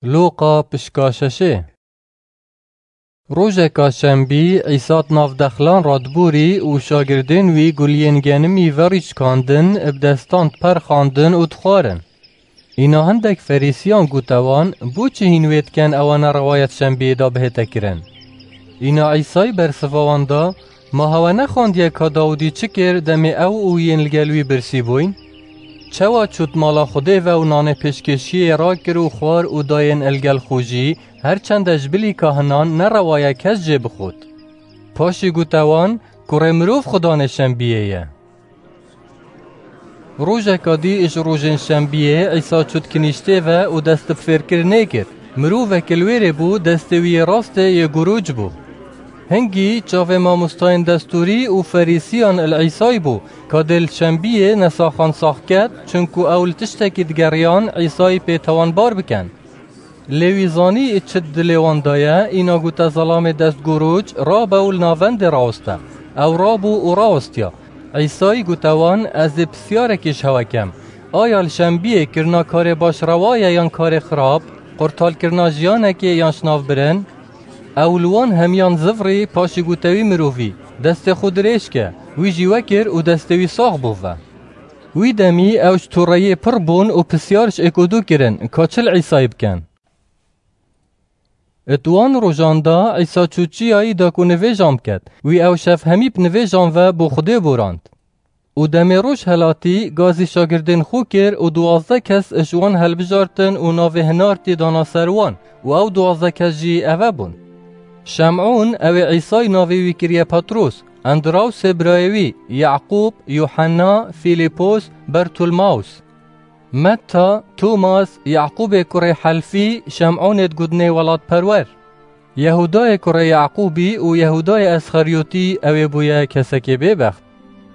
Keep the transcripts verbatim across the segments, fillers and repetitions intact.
Lûqa pişka şeşê. Rojeka şembî, Îsa di nav dexlan re diborî û şagirdên wî guliyên genimî verî şikandin, bi destan diperxandin û dixwarin. Îna hindek Ferîsiyan gote wan, Bo çi hîn wê dikin ewa ne rewayet şembiyê de bihête kirin? Îna Îsay bersiva wan da, Ma hewe nexwandiye ka Dawidî çi kir, demê ew û yên li gel wî birsî bûyn? Çawa çût mala Xwedê ve û nanê pêşkêşiyê rakir û xwar û dayên el gel xwe jî, her çende ji bilî kahinan ne rewa ye kes jê bixwit. Paşî gote wan, Kurê mirov Xudanê şembiyê ye. Rojeka dî ji rojên şembiyê Îsa çût kinîştê ve û dest bi fêrkirinê kir. Mirovek li wêrê bû, destê wî yê rastê yê guruc bû. Hingî çavê mamostayên destûrî û Ferîsiyan li Îsay bû, ka dê li şembiyê nesaxan sax ket, çunku ew li tiştekî digeriyan Îsayî pê tawanbar bikin. Lê wî zanî çi di dilê wan de ye, îna gote zelamê destguruc, Rabe û li navendê raweste. Ew rabû û rawistiya. Îsayî gote wan, Ez ê pisyarekî ji hewe kem. Aya li şembiyê kirina karê baş rewa ye yan karê xirab, qurtalkirina jiyanekê yan şinavbirin? Ew li wan hemiyan zivrî, paşî gote wî mirovî, Destê xwe dirêj ke. Wî jî wekir û destê wî sax bû ve. Wî demî ew ji toreyê pir bûn û pisyar ji êk û du kirin, ka çi li Îsayî bikin. Di wan rojan de Îsa çû çiyayî da ku nivêjan biket. Wî ew şev hemî bi nivêjan ve bo Xwedê borand. Û demê roj helatî, gazî şagirdên xwe kir û duwazdeh kes ji wan helbijartin û navê hinartî dana ser wan û ew duwazdeh kes jî eve bûn. Şem'ûn, ew ê Îsayî navê wî kiriye Petros, Endrawsê birayê wî, Yaqûb, Yuhenna, Fîlîpos, Bertulmaws. Metta, Tomas, Yaqûbê kurê Helfî, Şem'ûnê digotinê welatperwer. Yehûdayê kurê Yaqûbî û Yehûdayê Esxeryotî, ew ê bûye kesekê bêbext.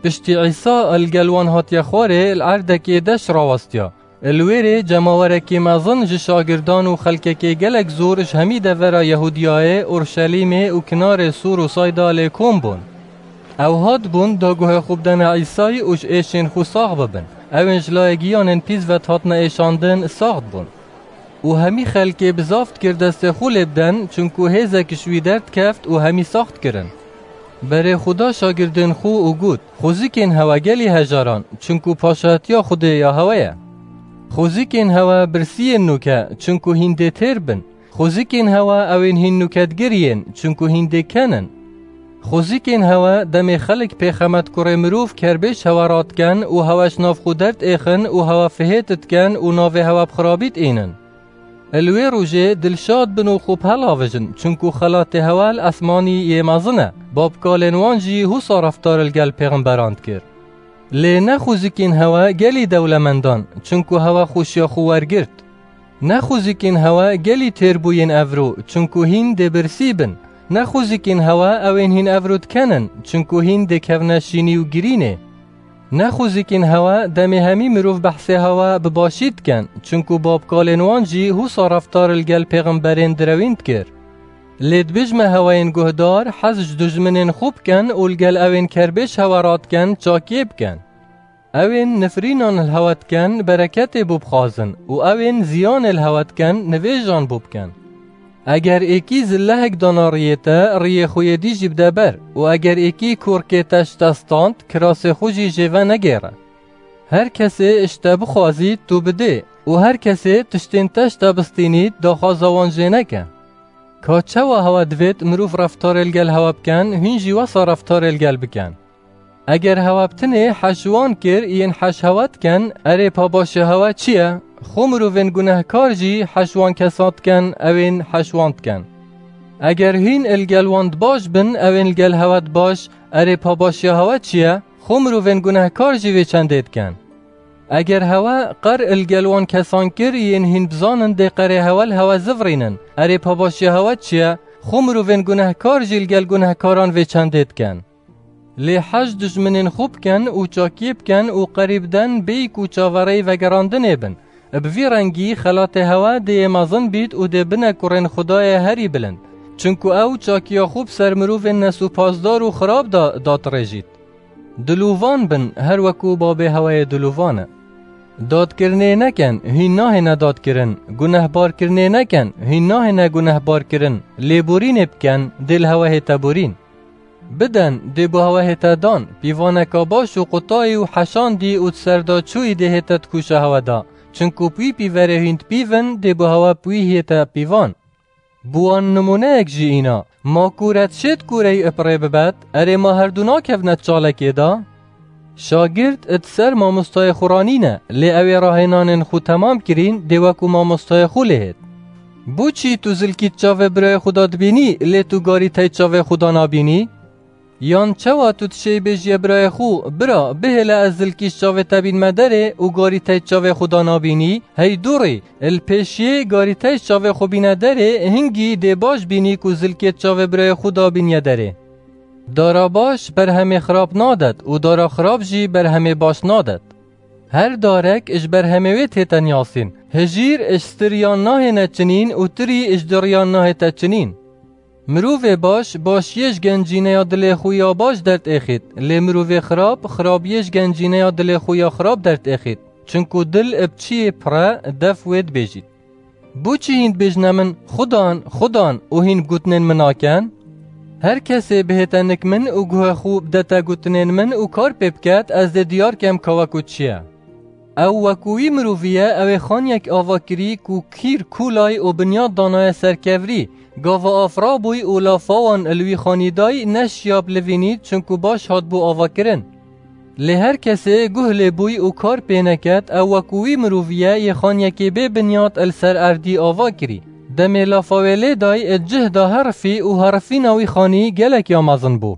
Piştî Îsa li gel wan hatiye xwarê, li erdekê deş rawestiya. Li wêrê cemawerekî mezin ji şagirdan û xelkekê gelek zor ji hemî devera Yehûdiyayê, Urşelîmê û kinarê Sûr û Sayda lê kom bûn. Ew hat bûn da guhê xwe bidene Îsayî û ji êşên xwe sax bibin. Ew ên ji layê giyanên pîs ve dihatine êşandin sax dibûn. Û hemî xelkê bi zaf dikir destê xwe lê biden, çunku hêzek ji wî derdikeft û hemî sax dikirin. Berê xwe da şagirdên xwe û got, Xwezikên hewe gelî hejaran, çunku paşatiya Xwedê ya hewe ye. Xwezikên hewe birsiyên nûke, çunku hîn dê têr bin. Xwezikên hewe ew ên hîn nûke digiriyên, çunku hîn dê ken in. Xwezikên hewe demê xelk pê xemet kurê mirov kerbêj hewe radiken û hewe ji nav xwe derdêxin û hewe fihêt diken û navê hewe bi xirabî diînin. Li wê rojê dilşad bin û xwe bi helavijin, çunku xelatê hewe li esmanî yê mezin e. Babkalên wan jî husa reftar li gel pêxemberan dikir. Lê ne xwezikên hewe gelî dewlemendan, çunku hewe xweşiya xwe wergirt. Ne xwezikên hewe gelî têrbûyên evro, çunku hîn dê birsî bin. Ne xwezikên hewe ew ên hîn evro dikenin, çunku hîn dê kevne şînî û girînê. Ne xwezikên hewe demê hemî mirov behsê hewe bi başî diken, çunku babkalên wan jî husa reftar li gel pêxemberên direwîn dikir. Lê dibêjme heweyên guhdar, hez ji dijminên xwe biken û li gel ew ên kerbêj hewe radiken, çakiyê biken. Ew ên nifrînan li hewe diken, bereketê bo bixwazin û ew ên ziyanê li hewe diken, nivêjan bo biken. Eger êkî zillehek dana riyê te, riyê xwe yê dî jî bide ber û eger êkî korkê te ji te stand, kirasê xwe jî jê venegêre. Her kesê ji te bixwazît, tu bidê û her kesê tiştên te ji te bistînît, daxwaza wan jê neke. Ka çawa hewe divêt mirov reftarê li gel hewe biken, hûn jî wesa reftarê li gel biken. Eger hewe bi tinê heş wan kir, yên heş hewe diken, erê pabaşiya hewe çi ye? Xwe mirovên gunehkar jî heş wan kesan diken, ew ên heş wan diken. Eger hîn li gel wan di baş bin, ew ên li gel hewe di baş, erê pabaşiya hewe çi ye? Xwe mirovên gunehkar jî vê çendê diken. Eger hewe qer li gel wan kesan kir, yên hîn bizanin dê qerê hewe li hewe zivrînin, erê pabaşiya hewe çi ye? Xwe mirovên gunehkar jî li gel gunehkaran vê çendê diken. Lê heş dijminên xwe biken û çakiyê biken û qerî biden bêyî ku çaverêyî vegerandinê bin. Bi vî rengî xelatê hewe dê yê mezin bît û dê bine kurên Xwedayê herî bilind. Çunku ew çakiya xwe bi ser mirovên nesûpazdar û xirab de dadirêjît. Dilovan bin, her weku babê hewe yê dilovan e. Dadkirinê neken, hîn nahêne dadkirin. Gunehbarkirinê neken, hîn nahêne gunehbarkirin. Lêborînê biken, dê li hewe hête borîn. Biden, dê bo hewe hête dan. Pîvaneka baş û qutayî û heşandî û di ser de çûyî dê hête di kûşa hewe de. Çinku bi wî pîverê hîn dipîvin, dê bo hewe bi wî hête pîvan. Bi wan nimûneyek jî îna, ma kûre dişêt kûreyî bi rê bibet, erê ma herdu nakevne di çalekê de? Şagird di ser mamostayê xwe ranîne, lê ew ê rahênanên xwe temam kirîn, dê wekû mamostayê xwe lê hêt. Bo çî tu zilkî di çavê birayê xwe de dibînî, lê tu garî tey çavê xwe de nabînî? Yan çawa tu dişêy bêjiyê birayê xwe, bira, bihêle ez zilkî ji çavê te bînme derê û garî tey çavê xwe de nabînî, hey dûrî, li pêşiyê garî tey çavê xwe bîne derê, hingî dê baş bînî ku zilkê çavê birayê xwe de bîniye derê. Dara baş berhemê xirab nadet û dara xirab jî berhemê baş nadet. Her darek ji berhemê wê tête niyasîn. Hijîr ji stiriyan nahêne çinîn û tirî ji diriyan nahête çinîn. Mirovê baş, başiyê ji gencîneya dilê xwe ya baş derdêxît, lê mirovê xirab, xirabiyê ji gencîneya dilê xwe ya xirab derdêxît. Çinku dil bi çiyê pir e, def wê dibêjît. Bo çi hîn dibêjne min, Xudan, Xudan, û hîn bi gotinên min naken? Her kesê bihête nik min û guhê xwe bidete gotinên min û kar pê biket, ez dê diyar kem ka wekû çi ye. Ew wekû wî mirovî ye, ew ê xaniyek ava kirî ku kîr kûlay û binyat danaye ser kevirî. Gava av rabûy û lafa wan li wî xanî day, neşiya bilivînît, çinku baş hatbû avakirin. Lê her kesê guh lê bûy û kar pê neket, ew wekû wî mirovî ye, yê xaniyekê bê binyat li ser erdî ava kirî. Demê lafa wê lê day, di cih de herifî û herifîna wî xanî gelek ya mezin bû.